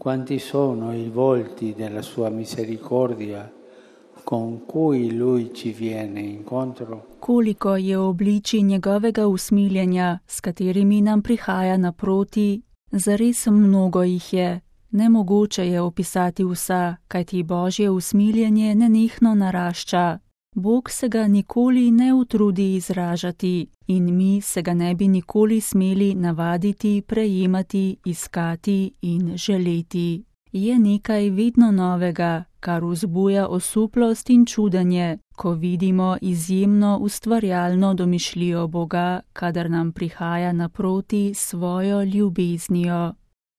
Quanti sono i volti della sua misericordia con cui Lui ci viene incontro? Koliko je obličij njegovega usmiljenja, s katerimi nam prihaja naproti, zares mnogo jih je. Nemogoče je opisati vsa, kajti Božje usmiljenje nenehno narašča. Bog se ga nikoli ne utrudi izražati in mi se ga ne bi nikoli smeli navaditi, prejemati, iskati in želeti. Je nekaj vedno novega, kar vzbuja osuplost in čudenje, ko vidimo izjemno ustvarjalno domišljijo Boga, kadar nam prihaja naproti svojo ljubeznijo.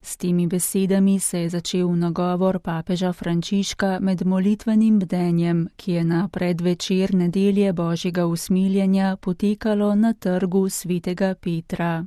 S temi besedami se je začel nagovor papeža Frančiška med molitvenim bdenjem, ki je na predvečer nedelje Božjega usmiljenja potekalo na trgu svetega Petra.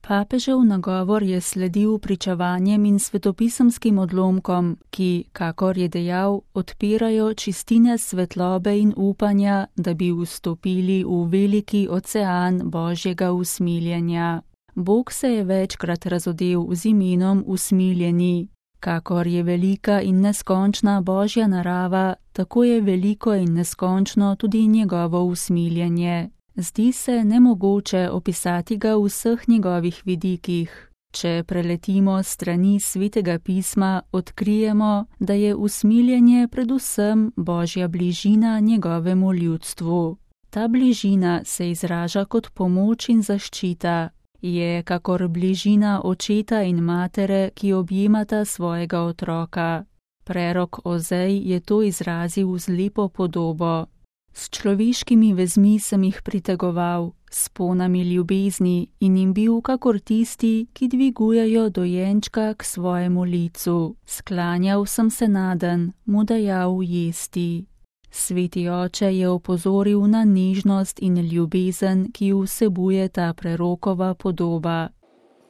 Papežev nagovor je sledil pričevanjem in svetopisemskim odlomkom, ki, kakor je dejal, odpirajo čistine svetlobe in upanja, da bi vstopili v veliki ocean Božjega usmiljenja. Bog se je večkrat razodel z imenom usmiljeni. Kakor je velika in neskončna Božja narava, tako je veliko in neskončno tudi njegovo usmiljenje. Zdi se nemogoče opisati ga v vseh njegovih vidikih. Če preletimo strani Svetega pisma, odkrijemo, da je usmiljenje predvsem Božja bližina njegovemu ljudstvu. Ta bližina se izraža kot pomoč in zaščita. Je kakor bližina očeta in matere, ki objemata svojega otroka. Prerok Ozej je to izrazil z lepo podobo. S človeškimi vezmi sem jih pritegoval, s ponami ljubezni in jim bil kakor tisti, ki dvigujejo dojenčka k svojemu licu. Sklanjal sem se naden, mu dajal jesti. Sveti oče je opozoril na nežnost in ljubezen, ki vsebuje ta prerokova podoba.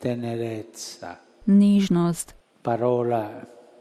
Tenerezza. Nežnost. Parola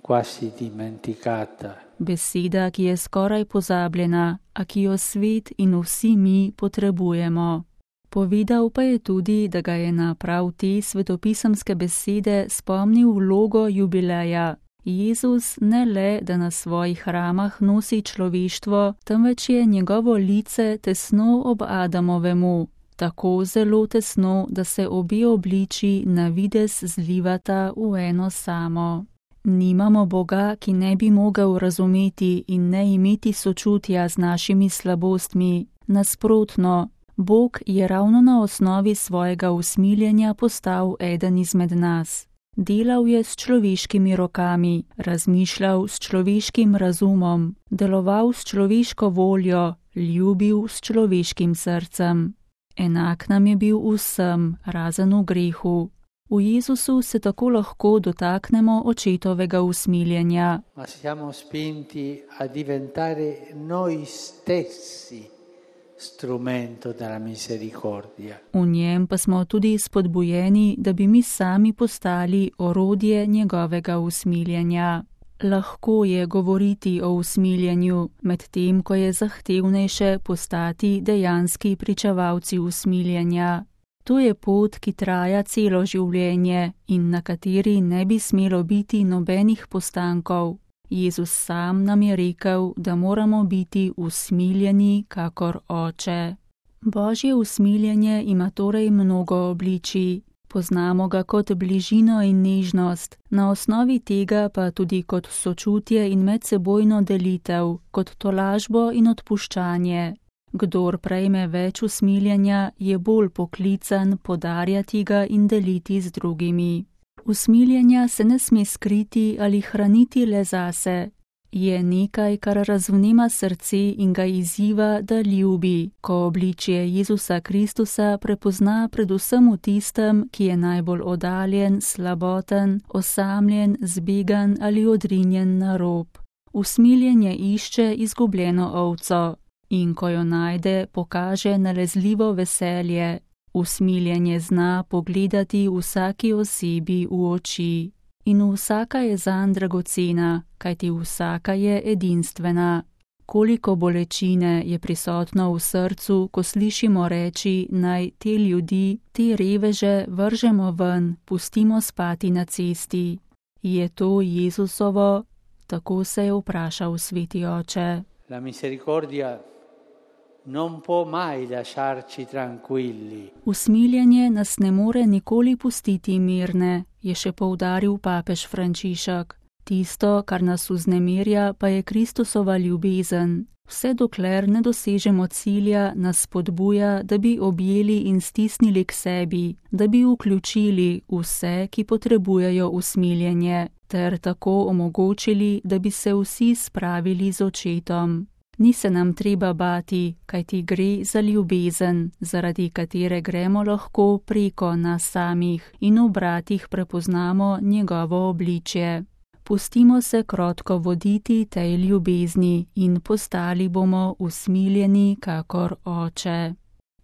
quasi dimenticata. Beseda, ki je skoraj pozabljena, a ki jo svet in vsi mi potrebujemo. Povedal pa je tudi, da ga je na prav te svetopisemske besede spomnil vlogo jubileja. Jezus ne le, da na svojih ramah nosi človeštvo, temveč je njegovo lice tesno ob Adamovemu, tako zelo tesno, da se obe obliči na videz zlivata v eno samo. Nimamo Boga, ki ne bi mogel razumeti in ne imeti sočutja z našimi slabostmi. Nasprotno, Bog je ravno na osnovi svojega usmiljenja postal eden izmed nas. Delal je s človeškimi rokami, razmišljal s človeškim razumom, deloval s človeško voljo, ljubil s človeškim srcem. Enak nam je bil vsem, razen v grehu. V Jezusu se tako lahko dotaknemo očetovega usmiljenja. Ma siamo spinti a diventare noi stessi strumento della misericordia. V njem pa smo tudi spodbujeni, da bi mi sami postali orodje njegovega usmiljenja. Lahko je govoriti o usmiljenju, medtem ko je zahtevnejše postati dejanski pričevalci usmiljenja. To je pot, ki traja celo življenje in na kateri ne bi smelo biti nobenih postankov. Jezus sam nam je rekel, da moramo biti usmiljeni kakor oče. Božje usmiljenje ima torej mnogo obličij. Poznamo ga kot bližino in nežnost, na osnovi tega pa tudi kot sočutje in medsebojno delitev, kot tolažbo in odpuščanje. Kdor prejme več usmiljenja, je bolj poklican podarjati ga in deliti z drugimi. Usmiljenja se ne sme skriti ali hraniti le zase. Je nekaj, kar razvnema srce in ga izziva, da ljubi, ko obličje Jezusa Kristusa prepozna predvsem v tistem, ki je najbolj oddaljen, slaboten, osamljen, zbegan ali odrinjen na rob. Usmiljenje išče izgubljeno ovco in ko jo najde, pokaže nalezljivo veselje. Usmiljenje zna pogledati vsaki osebi v oči. In vsaka je zanj dragocena, kajti vsaka je edinstvena. Koliko bolečine je prisotno v srcu, ko slišimo reči, naj te ljudi, te reveže vržemo ven, pustimo spati na cesti. Je to Jezusovo? Tako se je vprašal sveti oče. La misericordia non può mai lasciarci tranquilli. Usmiljenje nas ne more nikoli pustiti mirne, je še poudaril papež Frančišek. Tisto, kar nas vznemirja, pa je Kristusova ljubezen. Vse dokler ne dosežemo cilja, nas spodbuja, da bi objeli in stisnili k sebi, da bi vključili vse, ki potrebujejo usmiljenje, ter tako omogočili, da bi se vsi spravili z očetom. Ni se nam treba bati, kajti gre za ljubezen, zaradi katere gremo lahko preko nas samih in v bratih prepoznamo njegovo obličje. Pustimo se krotko voditi tej ljubezni in postali bomo usmiljeni kakor oče.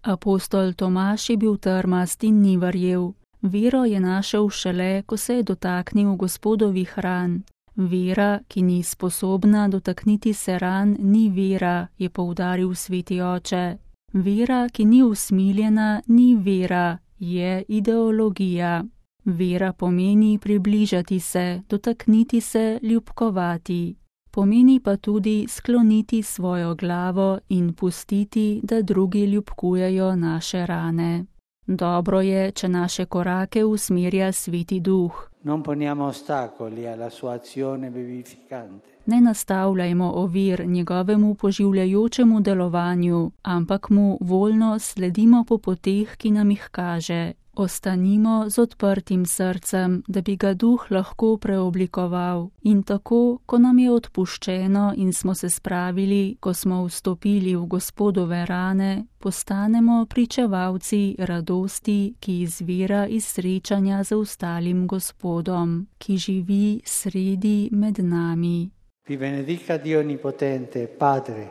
Apostol Tomaž je bil trmast in ni verjel. Vero je našel šele, ko se je dotaknil Gospodovih ran. Vera, ki ni sposobna dotakniti se ran, ni vera, je poudaril sveti oče. Vera, ki ni usmiljena, ni vera, je ideologija. Vera pomeni približati se, dotakniti se, ljubkovati. Pomeni pa tudi skloniti svojo glavo in pustiti, da drugi ljubkujejo naše rane. Dobro je, če naše korake usmerja sveti duh. Non poniamo ostacoli alla sua azione vivificante. Ne nastavljajmo ovir njegovemu poživljajočemu delovanju, ampak mu voljno sledimo po poteh, ki nam jih kaže. Ostanimo z odprtim srcem, da bi ga duh lahko preoblikoval. In tako, ko nam je odpuščeno in smo se spravili, ko smo vstopili v Gospodove rane, postanemo pričevalci radosti, ki izvira iz srečanja z ostalim Gospodom, ki živi sredi med nami. Vi benedica Dio Onnipotente, Padre,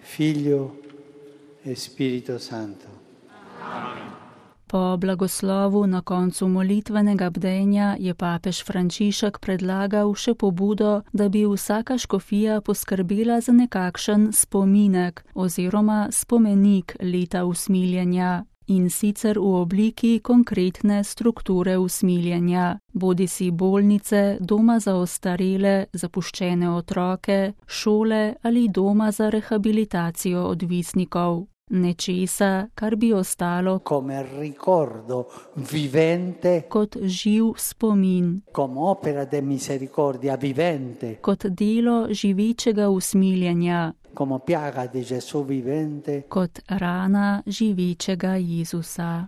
Figlio e Spirito Santo. Po blagoslovu na koncu molitvenega bdenja je papež Frančišek predlagal še pobudo, da bi vsaka škofija poskrbela za nekakšen spominek oziroma spomenik leta usmiljenja, in sicer v obliki konkretne strukture usmiljenja, bodisi bolnice, doma za ostarele, zapuščene otroke, šole ali doma za rehabilitacijo odvisnikov. Nečesa, kar bi ostalo come ricordo vivente, kot živ spomin, come opera de misericordia vivente, kot delo živečega usmiljenja, come piaga di Gesù vivente, kot rana živečega Jezusa.